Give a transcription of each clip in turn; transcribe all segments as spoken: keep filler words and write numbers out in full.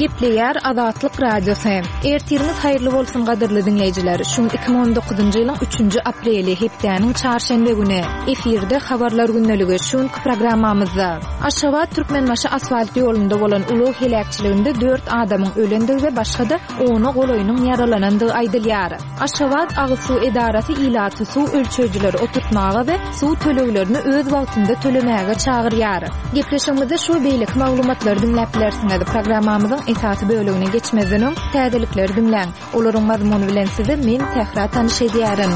Gepleýär Azatlyk Radiosy. Ertiriňiz haýyrly bolsun gadyrly diňleýjiler. Şu gün iki müň on dokuzynjy ýylyň üçünji apreli, hepdäniň çarşenbe güni. Efirde habarlar gündeligi şu günki programmamyzda. Aşgabat Türkmenbaşy asfalt ýolunda bolan ulag heläkçiliginde dört adamyň ölendigi we başga-da ona golaýynyň ýaralanandygy aýdylýar. Aşgabat agyz suw edarasy ilaty suw ölçeýjileri oturtmaga we suw töleglerini öz wagtynda tölemäge çagyrýar. Gepleşigimizde şu beýleki maglumatlary diňläp bilersiňiz. Programmamyzyň esasy bölegine geçmezden öň täzelikleri diňläň. Olaryň mazmuny bilen sizi men Sähra tanyş edýärin.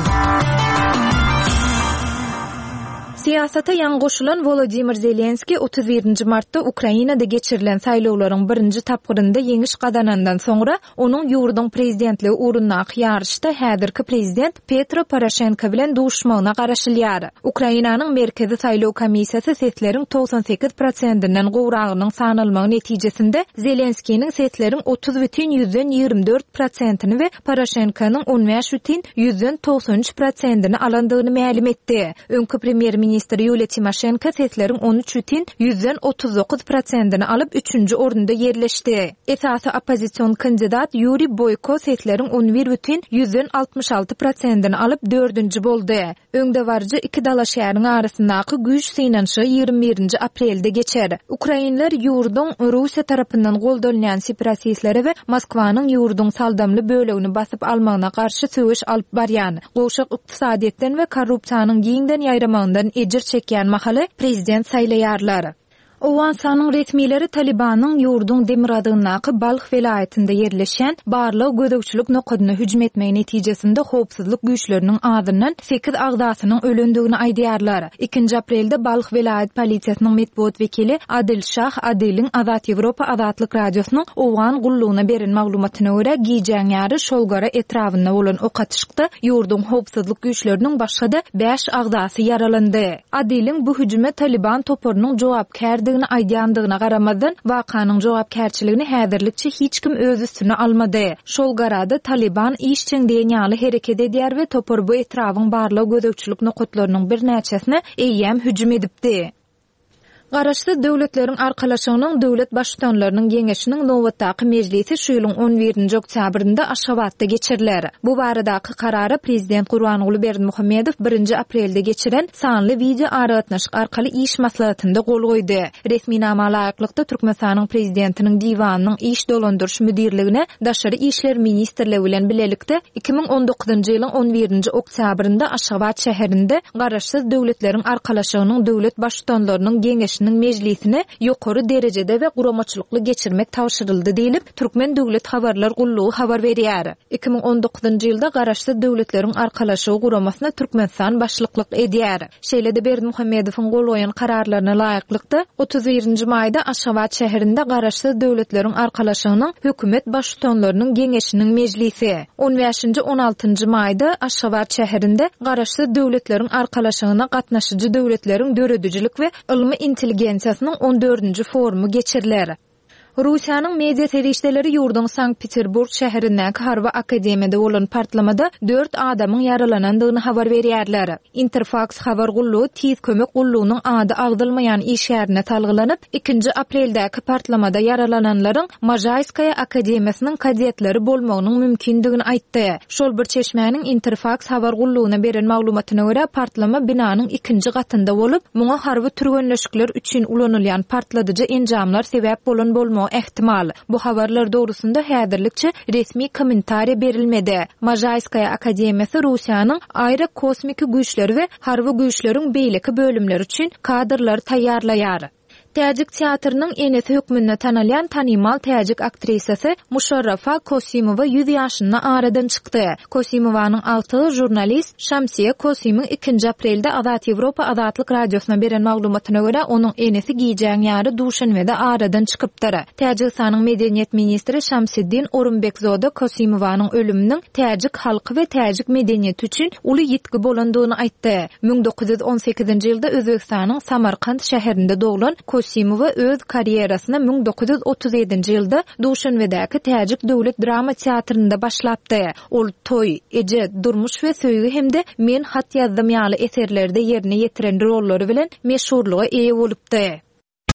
Siýasata ýaňy goşulan Volodymyr Zelenski otuz birinji martda Ukrainada geçirilen saýlawlaryň birinji tapgyrynda ýeňiş gazanandan soňra onuň ýurduň prezidentligi ugrundaky ýaryşda häzirki prezident Petro Poroşenko bilen duşmagyna garaşylýar. Ukrainanyň Merkezi saýlaw komissiýasy sesleriň togsan sekiz prosentinden gowragynyň sanalmagy netijesinde Zelenskiniň sesleriň otuz bütin ýüzden ýigrimi dört prosentini we Poroşenkonyň on bäş bütin ýüzden togsan üç prosentini alandygyny mälim etdi. Öňki premýer-ministr Ýuliýa Timoşenko sesleriň on üç bütin ýüzden otuz dokuz prosentini alyp üçünji orunda ýerleşdi. Esasy oppozision kandidat Ýuriý Boýko sesleriň on bir bütin ýüzden altmyş alty prosentini alyp dördünji boldy. Öňdebaryjy iki dalaşgäriň arasyndaky güýç synanyşygy ýigrimi birinji aprelde geçer. Ukrainler ýurduň Russiýa tarapyndan goldalýan separatistleri we Moskwanyň ýurduň saldamly bölegini basyp almagyna garşy söweş alyp barýan, gowşak ykdysadyýetden we korrupsiýanyň giňden ýaýramagyndan ejir çekýän mahaly prezident saýlaýarlar. Owganystanyň resmileri Talibanyň ýurduň demirgazygyndaky Balh welaýatynda ýerleşen barlyk gözegçilik nokadyna hüjüm etmegi netijesinde howpsuzlyk güýçleriniň azyndan sekiz agzasynyň ölendigini aýdýarlar. Ikinji aprelde Balh welaýat polisiýasynyň metbugat wekili Adil Şah Adiliň Azat Ýewropa Azatlyk Radiosynyň Owgan gullugyna beren maglumatyna görä gijäň ýary Şolgara etrabynda bolan ok atyşykda ýurduň howpsuzlyk güýçleriniň başga-da bäş agzasy ýaralandy. Adiliň bu hüjüme Taliban toparynyň jogapkärdigini aýdýandygyna garamazdan, wakanyň jogapkärçiligini häzirlikçe hiç kim öz üstüne almady. Şol garada Taliban işjeň diýen ýaly hereket edýär we topar bu etrabyň barlyk gözegçilik nokatlarynyň birnäçesine eýýäm hüjüm edipdi. Garaşsyz döwletleriň arkalaşygynyň döwlet baştutanlarynyň geňeşiniň nobatdaky mejlisi şu ýylyň on birinji oktýabrynda Aşgabatda geçiriler. Bu baradaky karara prezident Gurbanguly Berdimuhamedow birinji aprelde geçiren sanly wideo aragatnaşyk arkaly iş maslahatynda gol goýdy. Resminama laýyklykda Türkmenistanyň prezidentiniň diwanynyň iş dolandyryş müdirligine Daşary işler ministrligi bilen bilelikde iki müň on dokuzynjy ýylyň on birinji oktýabrynda Aşgabat şäherinde Garaşsyz döwletleriň arkalaşygynyň döwlet baştutanlarynyň geňeşiniň mejlisine ýokary derejede we guramaçylykly geçirmek tabşyryldy diýlip, Türkmen Döwlet Habarlar Gullugy habar berýär. Iki müň on dokuzynjy ýylda Garaşsyz Döwletleriň Arkalaşygy guramasyna Türkmenistan başlyklyk edýär. Şeýle-de Berdimuhamedowyň gol goýan kararlaryna laýyklykda otuz birinji maýda Aşgabat şäherinde Garaşsyz Döwletleriň Arkalaşygynyň hökümet baştutanlarynyň geňeşiniň mejlisi, on bäşinji on altynjy maýda Aşgabat şäherinde Garaşsyz Döwletleriň Arkalaşygyna gatnaşyjy döwletleriň döredijilik we ylmy intelligensiýasynyň on dördünji forumy geçiriler. Russiýanyň media serişdeleri ýurduň Sankt-Peterburg şäherindäki harby akademiýada bolan partlamada dört adamyň ýaralanandygyny habar berýärler. Interfax habar gullugy tiz kömek gullugynyň ady agzylmaýan işgärine salgylanyp, ikinji apreldäki partlamada ýaralananlaryň Mažayskaya akademiýasynyň kadetleri bolmagynyň mümkindigini aýtdy. Şol bir çeşmäniň Interfax habar gullugyna beren maglumatyna görä partlama binanyň ikinji gatynda bolup, muňa harby türgenleşikler üçin ulanylýan partladyjy enjamlar sebäp bolan bolmagy ehtimal. Bu habarlar dogrusynda häzirlikçe resmi kommentariýa berilmedi. Mažayskaya akademiýasy Russiýanyň aerokosmiki güýçleri we harby güýçleriň beýleki bölümleri üçin kadrlar taýýarlaýar. Täjik teatrynyň enesi hökmünde tanalýan tanymal täjik aktrisasy Muşarrafa Kosimowa ýüz ýaşynda aradan çykdy. Kosimowanyň agtygy žurnalist Şamsiýa Kosimyň ikinji aprelde Azat Ýewropa Azatlyk Radiosyna beren maglumatyna görä onuň enesi gijäň ýary Duşenbede aradan çykypdyr. Täjigistanyň medeniýet ministri Şamsiddin Orumbekzoda Kosimowanyň ölüminiň täjik halky we täjik medeniýeti üçin uly ýitgi bolandygyny aýtdy. Müň dokuz ýüz on sekizinji ýylda Özbegistanyň Samarkand şäherinde doglan Kosimowa öz karýerasyna müň dokuz ýüz otuz ýedinji ýylda Duşenbedäki Täjik Döwlet Drama Teatrynda başlapdy. Ol toý, eje, durmuş we söýgi hem-de men hat ýazdym ýaly eserlerde ýerine ýetiren rollary bilen meşhurlyga eýe bolupdy.